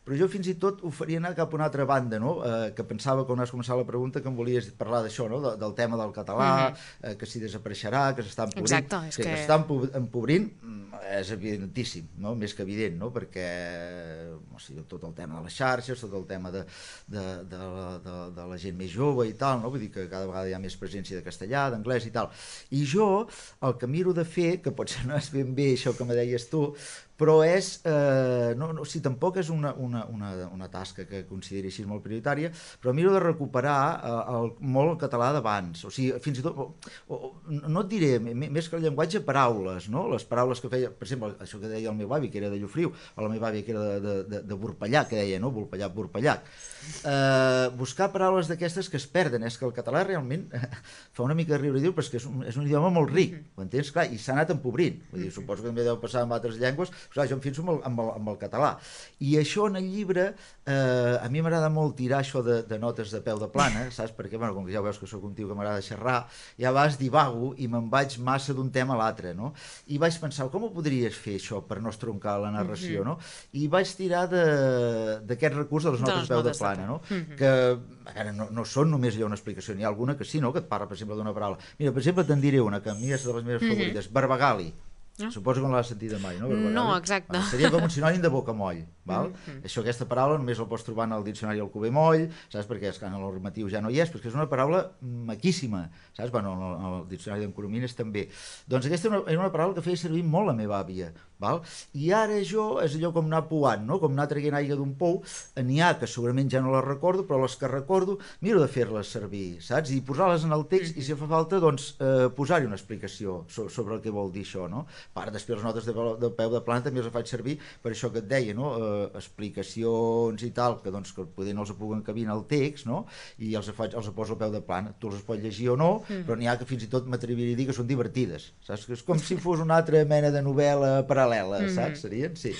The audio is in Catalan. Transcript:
però jo fins i tot ho faria anar cap a una altra banda, no? Que pensava, quan has començat la pregunta, que em volies parlar d'això, no? Del tema del català, que si desapareixerà, que s'està empobrint. Exacte, és que s'està empobrint és evidentíssim, no? Més que evident, no? Perquè o sigui, tot el tema de les xarxes, tot el tema de la gent més jove i tal, no? Vull dir que cada vegada hi ha més presència de castellà, d'anglès i tal. I jo el que miro de fer, que potser no és ben bé això que me deies tu, però és, si tampoc és una tasca que consideri així molt prioritària, però miro de recuperar molt el català d'abans, o sigui, fins i tot, no et diré, més que el llenguatge, paraules, no? Les paraules que feia, per exemple, això que deia el meu avi, que era de Llofriu, o la meva àvia, que era de Burpellac, que deia, no? Burpellac. Buscar paraules d'aquestes que es perden, és que el català realment fa una mica de riure i diu, però és que és un idioma molt ric, ho entens? Clar, i s'ha anat empobrint, vull dir, suposo que també deu passar amb altres llengües. Clar, jo em fixo amb el català. I això en el llibre, a mi m'agrada molt tirar això de notes de peu de plana, saps? Perquè, bueno, com que ja veus que sóc un tio que m'agrada xerrar, ja vas divago i me'n vaig massa d'un tema a l'altre, no? I vaig pensar, com ho podries fer això per no estroncar la narració, no? I vaig tirar d'aquest recurs de les notes de peu de plana, no? Que, a veure, no són només allò una explicació, n'hi ha alguna que sí, no? Que et parla, per exemple, d'una paraula. Mira, per exemple, te'n diré una, que a mi és de les meves favorites, barbagali. Suposo que no l'has sentit mai, no? No, exacte. Seria com un sinònim de bocamoll, val? Aquesta paraula només la pots trobar en el diccionari Alcover-Moll, saps? Perquè en el normatiu ja no hi és, perquè és una paraula maquíssima, saps? Bueno, en el diccionari d'en Coromines també. Doncs aquesta era una paraula que feia servir molt la meva àvia, val? I ara jo, és allò com anar pouant, no? Com anar traient aigua d'un pou, n'hi ha que segurament ja no les recordo, però les que recordo miro de fer-les servir, saps? I posar-les en el text, i si fa falta, doncs, posar-hi una explicació sobre el que vol dir això, no? Part, després les notes de peu de plana també les faig servir per això que et deia, no? Explicacions i tal, que doncs que poder no els puc encabir en el text, no? I els poso al peu de plana. Tu els pots llegir o no, però n'hi ha que fins i tot m'atreviria a dir que són divertides, saps? És com si fos una altra mena de novel·la paral·lela, saps? Serien? Sí.